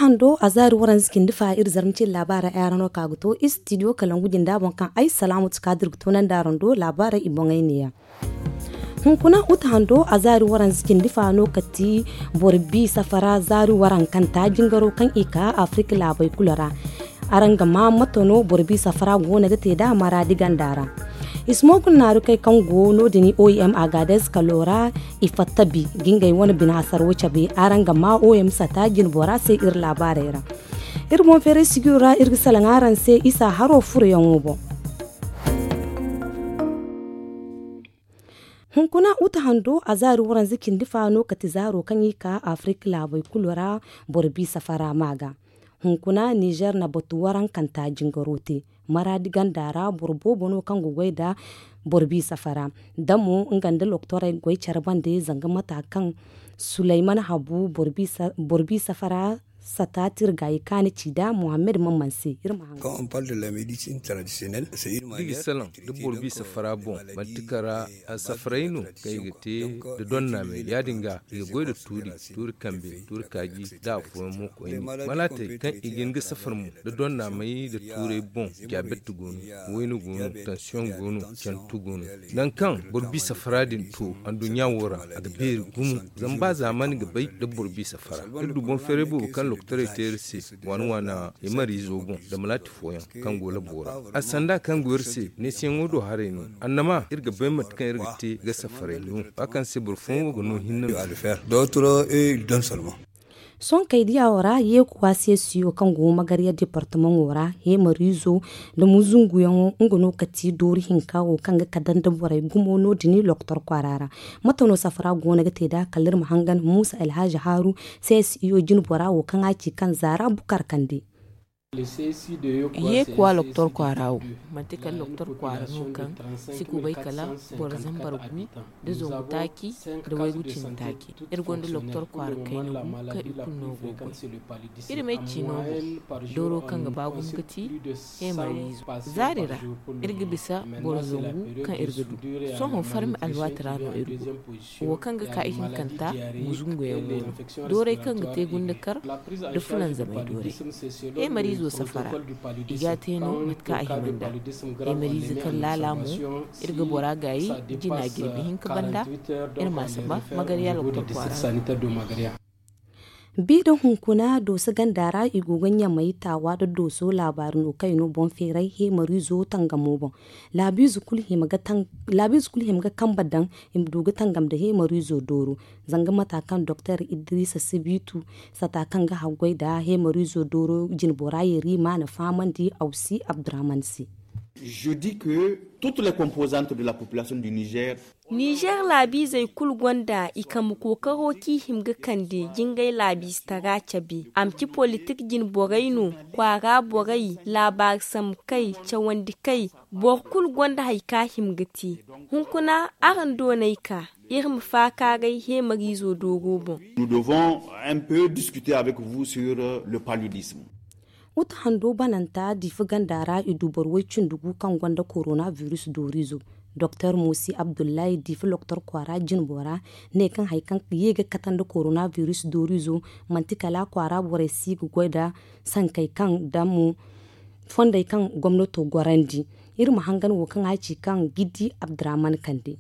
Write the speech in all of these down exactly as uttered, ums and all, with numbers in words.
Hando a zaari waranza cindi fa iri zarma cindi laabaara ay araŋ no ka ga to istidiyo kalangu jinda boŋ kaŋ ay salaamatu kaadir ga toonandi araŋ do laabaara i boŋey neeya. Hunkuna uta hando a zaari waranza cindi fa no kati boro bi safara zaari warankanta jingaro kaŋ i ka afirika laabey kulu ra. Araŋ ga maa mate no boro bi safara goono ga te nd'a maraadi ganda ra. Ismogul naarukey kaŋ go no- din oem agades kalo ra i fatta bi ga ngey wane bina hasaro cabe. Araŋ ga maa oem sata jinbora se iri laabaarey ra. Iri boŋ feeray sijiro ra iri ga salaŋ araŋ se isa haro furoyaŋo boŋ. Hunkuna uta hando a zaari waranza cindi fa no kati zaaro kaŋ i ka afirika laabey kulu ra boro bi safara ma ga. Hunkuna nizer na batu warankanta jingaro te maraadi ganda ra boro boobo no kaŋ ga goy nda boro bi safara. Damo nga nda loktorey goy care bande zanga mata kaŋ sulayman habu boro bi safara sata tirgayi kaani ci nda muhammed mamman se iri ma haŋ. Kaŋ on parle de la medicine traditionnelle. Da i ga salaŋ da boro bi safara boŋ manti kara safaray no kaŋ i ga te da donna me ya- din ga i ga goy nda tuuri, tuuri kambe, tuuri kaaji, nda afooyaŋ mo koyne. Malaatey kaŋ i ga hin ga safar mo nda donna may nda tuuray boŋ. Diabet go no, wayna go no, tansiyoŋ go no, cantu go no. Nangu kaŋ boro bi safara din to anduɲɲa wo ra a ga beeri gumo. Zama ba zaamani ga bay nda boro bi safara iri du boŋ feeray boobo kaŋ lokotorey te iri se waana waana hemariizo boŋ nda malaati fooyaŋ kaŋ go labo ra. A sanda kaŋ go iri se neesiyaŋo do haray no. Annama iri ga bay mate kaŋ iri ga te ga safaray no. Ba kaŋ se boro fooyaŋ wo ga no hinne no. Sohõ kay diya wo ra yeekuwa seesiyo kaŋ go magarya departamaŋo ra hemariizo nda muzunguyaŋo nga no kati dooru hinka wo kaŋ ga kadar nda borey gumo no- din lokotor kwaara ra. Mate no safara goono ga te nd'a kala iri ma hangan muusa alhazi haaru seesiyo jinbora wo kaŋ a ci kaŋ zaara bukar kande. Yeekuwa lokotor kwaara wo manti kala lokotor kwaara no kaŋ si kubay kala boro zambar gu nda zangu taaci nda waygu cindi taaci. Iri gonda lokotor kwaara kayna gu kaŋ i kulu no go ga goy. Iri ma ay ci no mo dooro kaŋ ga ba gumo ga ti hemariizo. Zaari ra iri ga bisa boro zangu kaŋ iri ga du. Sohõ farmi alwaati ra no iri go wo kaŋ ga ka ihinkanta muzunguyaŋ go no. Dooray kaŋ ga te gundakar nda fulanzamay dooray. Hemariizo safara i ga a te no mate kaŋ a hima nd'a. Hemariize kaŋ laala mo iri ga bora gaayi jina jirbi hinka banda. Iri ma a saba magarya lokotor kwaara. Bi nda hunkuna dooso ganda ra i go ga ɲamay taawa nda dooso laabaari no kaŋ i no boŋ feeray hemariizo tangamo boŋ. Laabiize kulu hima ga kambe daŋ i ma du ga tangam nda hemariizo dooro. Zanga mata kaŋ doktor idiriisa sibiitu sata kaŋ ga haggoy nda hemariizo dooro jinbora yeri ma na fahamandi awsi abdurahman se. Nizer laabiizey kulu gonda i kambe kookaro kaŋ i hima ga kande jingay laabiizetaray cabe a ma ci politik jine borey no, kwaara borey, laabaari sambu kay, cawandi kay. Boro kulu gonda hari kaŋ a hima ga te. Hunkuna araŋ doonay ka iri ma faakaaray heemariizo dooro boŋ. Uta hando bananta diifa ganda ra i du boro way-cindi gu kaŋ gonda korona biris dooriizo. Doktor moosi abdullahi diifa loktor kwaara jinbo ra ne kaŋ hari kaŋ ye ga kate nda korona biris dooriizo manti kala kwaara borey si ga goy nda sankey kaŋ damo fondey kaŋ gomnato gorandi. Iri ma hangan wo kaŋ a ci kaŋ giddi abdurahman kande.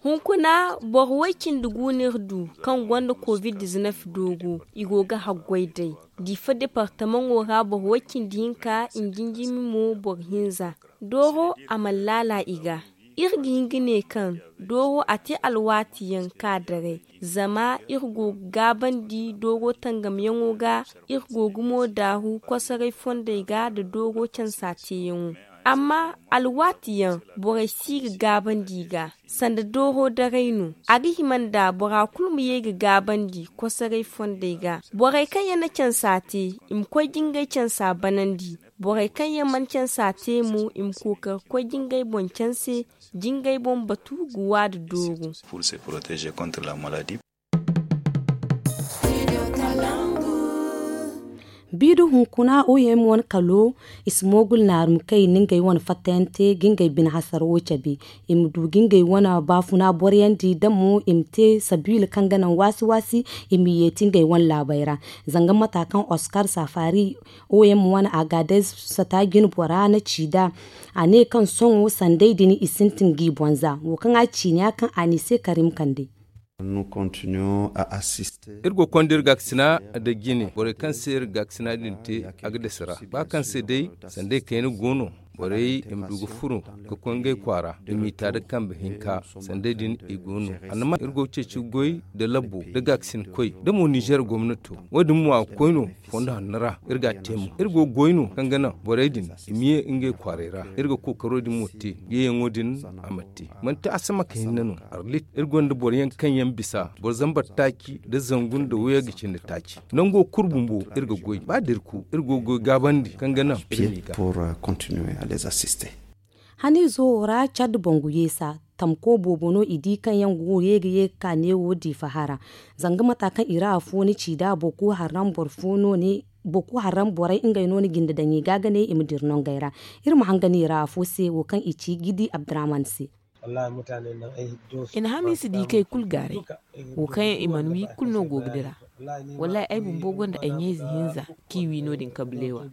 Hunkuna boro way-cindi gu no iri du kaŋ gonda covid-dizinef dooro i go ga haggoy day. Diifa departamaŋo ra boro way-cindi hinka i jinjimi mo boro hinza. Dooro a mana laala i ga. Iri ga hin ga ne kaŋ dooro a te alwaati yaŋ ka daray. Zama iri go ga gaabandi dooro tangamyaŋo ga. Iri go ga mo daaru kosoray fondey ga nda dooro cansa teeyaŋo. Amma alwaati yaŋ borey si ga gaabandi i ga. Sanda dooro daray no a ga hima nda bora kulu ma ye ga gaabandi kosoray fondey ga. Borey kaŋ yaŋ na cansa te i ma koy jingay cansa banandi. Borey kaŋ yaŋ mana cansa te mo i ma kookari koy jingay boŋ canse jingay boŋ batu ga wa nda dooro. Pour se proteger contre la maladie. Biidu hunkuna oyem wane kalo i si moogul naarumkey na ngey wane fattayante ga ngey bine hasarawo cabe. I ma du ga ngey wane baafuna boroyandi da mo i ma te sabiila kaŋ ga naŋ waasi waasi i ma yeeti ngey wane laabey ra. Zanga mata kaŋ oskar safari oyem wane agadez sata jine bora na ci nd'a, a ne kaŋ sohõ sanday din i sintin g'i boŋ za wo kaŋ a ciini ya kaŋ a n'i se karim kande. Iri go ga konda iri gaakasina nda jine borey kaŋ se iri gaakasina din te a ga dasi ra ba kaŋ se day sanday kayna go no. Borey i ma du ga furo ga koy ngey kwaara i miita nda kambe hinka. Sanday din i go no. Annama iri go ga ceeci goy nda labbo nda gaakasinkoy nda mo nizer gomnato. Wo- din mo a ga koy no fondo hanno ra. Iri ga a te mo iri go ga goy no kaŋ ga naŋ borey din i ma ye ngey kwaarey ra. Iri ga kookaro din mo te yeeyaŋo din a ma te. Manti asamaka hinne no. Arlit iri gonda boro yaŋ kaŋ yaŋ bisa boro zambar taaci nda zangu nda wayey ga cindi taaci. Nango kulu bumbo iri ga goy ba da iri ku iri go ga goy gaabandi kaŋ ga naŋ iri m'i ga. Haniizo wo ra cad bangu yeesa tamko boobo no i di kaŋ yaŋ go ye ga ye ga ka neewo diifa hara. Zanga mata kaŋ i ra afo ni ci nd'a boro kulu harram boro fo no ne. Boro kulu harram borey ngey no ni jinde daŋ i ga ga ne i ma dira nongey ra. Iri ma hangan i ra afo se wo kaŋ i ci gidi abdurahman se. I na hamiisa di kay kulu gaaray. Wo kaŋ yaŋ i mana wi kulu no go ga dira. Wallaahi ay bumbo gonda ay ɲayze hinza kaŋ i wi no- din kabileewa.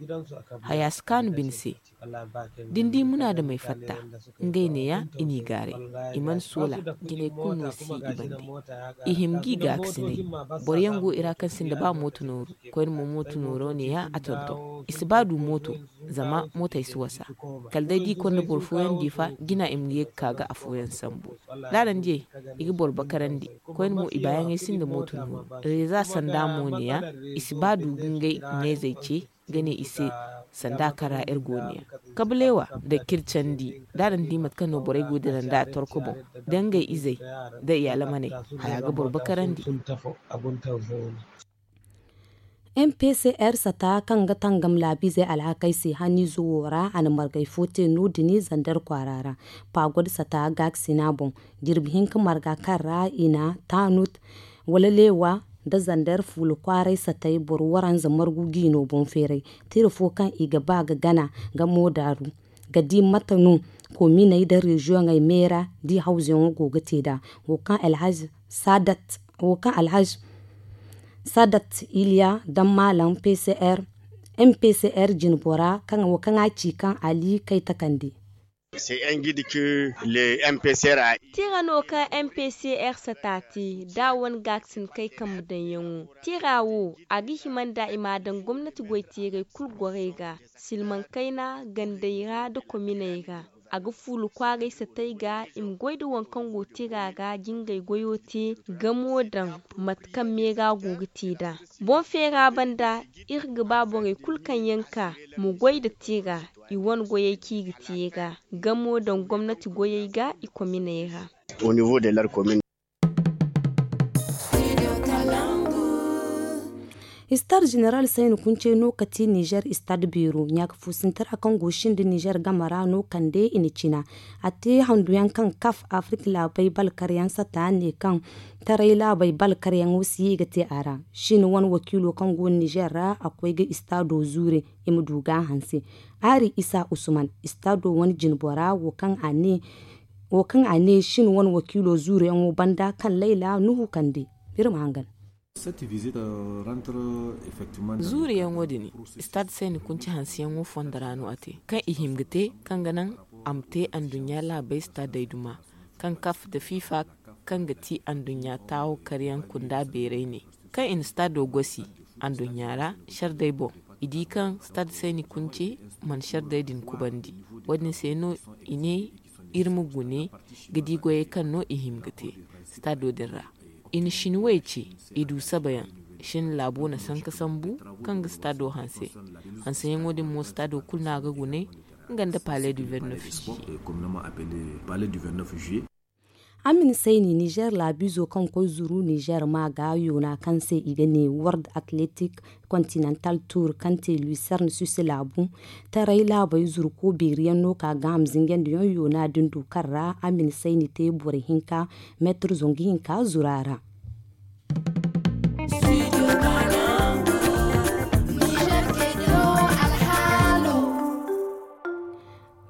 Haya si kaanu bine se. Da ni di munaadamey fatta ngey neeya i n'i gaaray. I mana soola jinay kulu no si i bande. I hima g'i gaakasinay. Boro yaŋ go i ra kaŋ sinda ba mooto nooru. Koyne mo mooto nooro neeya a tonton. I si ba du mooto. Zama mootey si wasa. Kala day da i konda boro fooyaŋ diifa jina i ma ye ga ka ga afooyaŋ sambu. Daarandiyey i ga boro bakarandi. Koyne mo i baayaŋey sinda mooto nooru. Reeza sanda mo neeya. I si ba du ga ngey ɲayzey ce ga ne i se. Sanda kaŋ ra iri go neeya kabileewa da kircandi da a daŋ di mate kaŋ no borey go dira nd'a torko boŋ da ngey izey da i alamaney. Haya ga boro bakarandi. M P C R sata kaŋ ga tangam laabiizey alhakey se haniizo wo ra a na margay fo te no- din zander kwaara ra. Pagod sata gaakasina boŋ jirbi hinka marga kaŋ ra i na taanut wala leewa nda zander fuula kwaaray satay boro waranza margu g'i no boŋ feeray. Tira fo kaŋ i ga ba ga gana ga moodaaru ga di mate no kominey nda reziyoŋey meera di hawzuyaŋo go ga te nd'a. Wo kaŋ alhazi sadat wo kaŋ alhazi sadat iliya daŋ maalaŋ m p c r jine bora kaŋ wo kaŋ a ci kaŋ ali kay takandi. Tira no kaŋ m p c r sata te da a wane gaakasin kay kambe daŋyaŋo. Tira wo a ga hima nda i m'a daŋ gomnati goy teeray kulu gorey ga silmaŋ kayna gandey ra nda kominey ra. A ga fuula kwaaray satay ga i ma goy nda waŋ kaŋ go tira ra jingay goyo te gamo daŋ mate kaŋ meera go ga te nd'a. Boŋ feera banda iri ga ba borey kulu kaŋ yaŋ ka ma goy nda tira i wane goyey kaŋ i ga te i ra gamo daŋ gomnati goyey ga i kominey ra. Istad jeneral sayni kunce no ka ti nizer istad beero ɲaaka fuusintara kaŋ go sindi nizer game ra no kande i na cina. A te handuyaŋ kaŋ kaf afirka laabey balkaryaŋ sata ne kaŋ taray laabey balkaryaŋo si ye ga te a ra. Sini wane wakiilo kaŋ go nizer ra a koy ga istado zuure i ma du ga a hanse. Aari isa usman istado wane jinbora wo kaŋ a ne wo kaŋ a ne shin wane wakiilo zuuruyaŋo banda kaŋ layla nuhu kande. Iri ma hangan. Zuuruyaŋo din stade sayni kunci hanseyaŋo fondo ra no a te kaŋ i hima ga te kaŋ ga naŋ a ma te anduɲɲa laabey stadey duma kaŋ kaf nda fifa kaŋ ga ti anduɲɲa taawo karyaŋ kunda beeray ne. Kaŋ i na stado gosi anduɲɲa ra sardey boŋ i di kaŋ stade sayni kunce mana sardey din kubandi. Wo- din se no i ne iri ma gune ga di goyey kaŋ no i hima ga te stado din ra. I na shinwey ce i du sabayaŋ shin laabo na sanka sambu kaŋ ga stado hanse. Hanseyaŋo din mo stado kulu no a ga gune nga nda palais du vingt-neuf juillet. A ma ni sayni nizer laabiizo kaŋ koy zuru nizer ma ga yoona kaŋ se i ga ne world athletic continental tour kaŋ te lucerne suisse laabu. Taray laabey zuru ko beeri yaŋ no ka ga a ma zinjandi yaŋ yoona din du kaŋ ra a ma ni sayni te boro hinka meetir zangu hinka zuru a ra.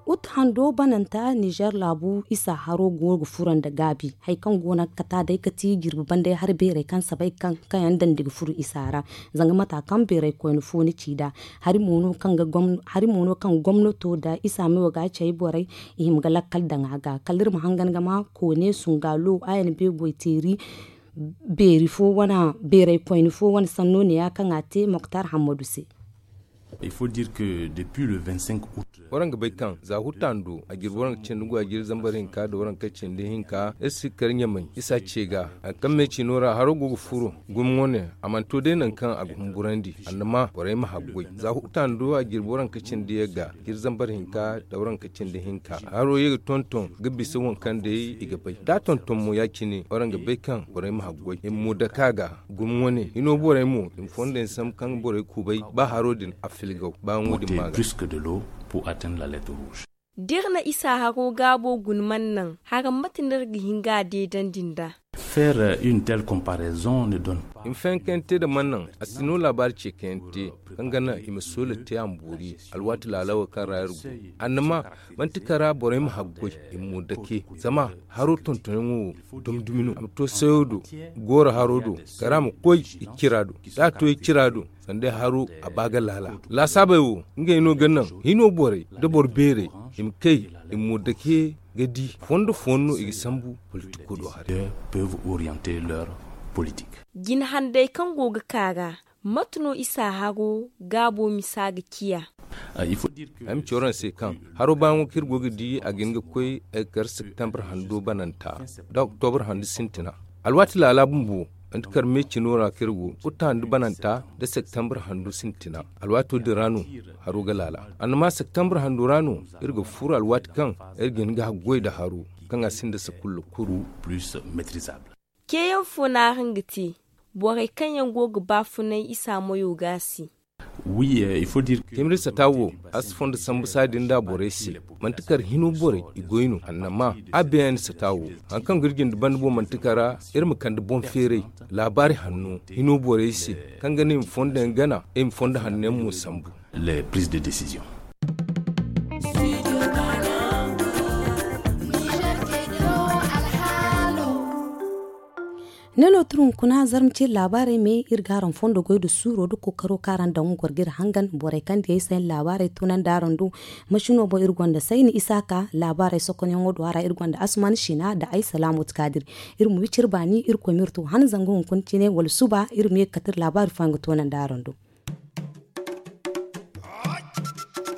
Ut hando bananta nizer laabu isa haro go ga furo nda gaabi hari kaŋ go no ga kata day ga ti jirbi banday hari beerey kaŋ sabay kaŋ kaŋ yaŋ dandi ga furo isa ra. Zanga mata kaŋ beerey koyne fo ni ci nd'a hari mo no kaŋ gomnato nda isa meyo ga a cay borey i hima ga lakkal daŋ a ga kala iri ma hangan ga ma koone sungaalo a yaŋ beegoy teeri beeri fo wane beerey koyne fo wane sanno ne- ya kaŋ a te moktar hammadu se. Waraŋ ga bay kaŋ za hutta hando a jirbi waraŋ ga cindi go a jirbi zambar hinka nda waraŋ ga cindi hinka iri si ga kar ɲamay isa ce ga hari kaŋ me ciino ra haro go ga furo gumi wane a mana to day nangu kaŋ a ga humburandi annama borey ma haggoy za hutta hando a jirbi waraŋ ga cindi yagga jirbi zambar hinka nda waraŋ ga cindi hinka haro ye ga tonton ga bisa waŋ kaŋ day i ga bay da a tonton mo ya- cine waraŋ ga bay kaŋ borey ma haggoy i ma mo dake a ga gumi wane hino borey mo i ma fondo yaŋ sambu kaŋ borey kubay ba haro din a filgaw ba yaŋo din ma ga. Da iri na isa haro gaabo guna mana naŋ hara mate no iri ga hin ga a deedandi nd'a? Faire une telle comparaison ne donne pas. I ma fayankayaŋ te nda mana naŋ a si no laabaari ceekayaŋ te kaŋ ga naŋ i ma soola te a ma boori alwaati laala wo kaŋ ra iri go annama manti kara borey ma haggoy i ma mo dake zama haro tontonyaŋo wo dumi-dumi no a ma to sayo do gooro haro do kara ma koy i cira do da a to i cira do sanda ay haro a ba ga laala laasaabey wo ngey no ga naŋ hino borey nda boro beerey i ma kay i ma mo dake ga di fondo fooyaŋ no i ga sambu politiko do haray. Jina handay kaŋ go ga ka ra mate no isa haro gaabo misa ga ciya? Ay ma ci waraŋ se kaŋ haro baayaŋo kaŋ iri go ga di a ga hin ga koy ay ga kar septembre hando bananta da oktobur hando sintina alwaati laala bumbo manti kar me cino ra kaŋ iri go kutta hando bananta da septembre hando sintina alwaato din ra no haro ga laala annama septembre hando ra no iri ga furo alwaati kaŋ iri ga hin ga haggoy nda haro kaŋ a sinda sakulla kuru. Ceeyaŋ fo no araŋ ga te borey kaŋ yaŋ go ga baafunay isa moyo ga a se? Teemir sata wo a si fondo sambu saadi nda borey se manti kar hino borey i goy no annama a beeyaŋ sata wo hari kaŋ ga iri jinde banda boŋ manti kar iri ma kande boŋ feeray laabaari hanno hino borey se kaŋ ga naŋ i ma fondo yaŋ gana i ma fondo hanno yaŋ mo sambu. Ne no tun hunkuna zarma ciri laabaarey me iri ga araŋ fondo goy nda suuro nda kookaro kaŋ araŋ daŋ goro ga iri hangan borey kaŋ diyey se yaŋ laabaarey tunandi araŋ do. Masino boŋ iri gonda sayni isaaka laabaarey sokonyaŋo do a ra iri gonda asuman sina nda ay salaamu ti kaadir. Iri ma wiciri baani irkoy ma iri to han zanga hunkuna cine wala suba iri ma ye ga kate iri laabaari fooyaŋ ga tunandi araŋ do.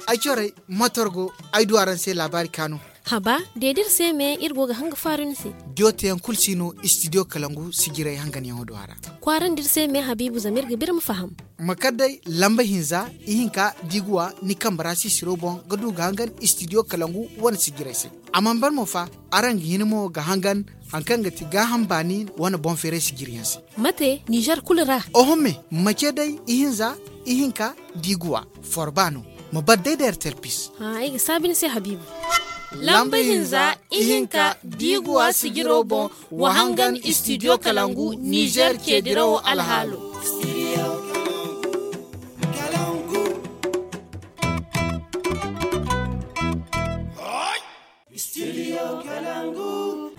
Ay corey matorgo ay du araŋ se laabaari kaanu. Haba deedi iri se me iri go ga hanga faaru ni se. Diyo teyaŋ kulu si no istidiyo kalangu sijiray hanganyaŋo do a ra. Kwaarandi iri se me habiibu zama iri ga ba iri ma faham. Ma kar day lamba hinza ihinka da i ga wa ni kambe ra sisiro boŋ ga du ga hangan istidiyo kalangu wane sijiray se. A mana ban mo fa araŋ ga hin mo ga hangan hari kaŋ ga ti gaaham baani wane boŋ feeray sijiriyaŋ se. Mate nizer kulu ra? Oho me ma ce day ihinza ihinka da i ga wa forba no. Ma bar day da ertel pis. Ay ga saabi ni se habiibu. Lamba hinza ihinka da i ga wa sijiro boŋ wa hangan istidiyo kalangu nizer ceedirawo alhaalo.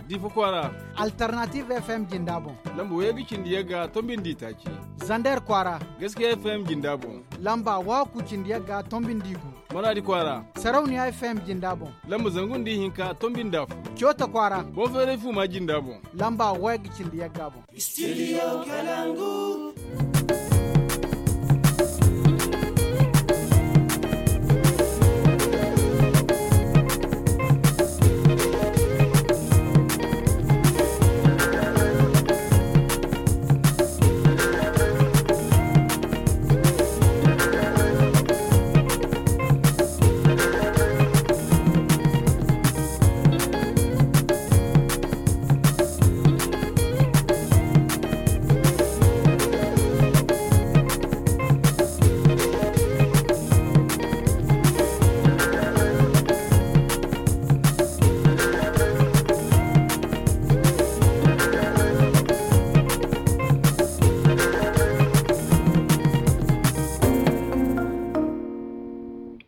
Difa kwaara. Alternative fm jinda boŋ. Lamba waygu cindi yagga tombindi taaci. Zander kwaara. Gaskiya fm jinda boŋ. Lamba waaku cindi yagga tombindi gu. Maradi kwaara. Sarauniya fm jinda boŋ. Lamba zangu nda ihinka tombindi afo. Coota kwaara. Boŋ feeray fuuma jinda boŋ. Lamba waygu cindi yagga boŋ. Studio Kalangu.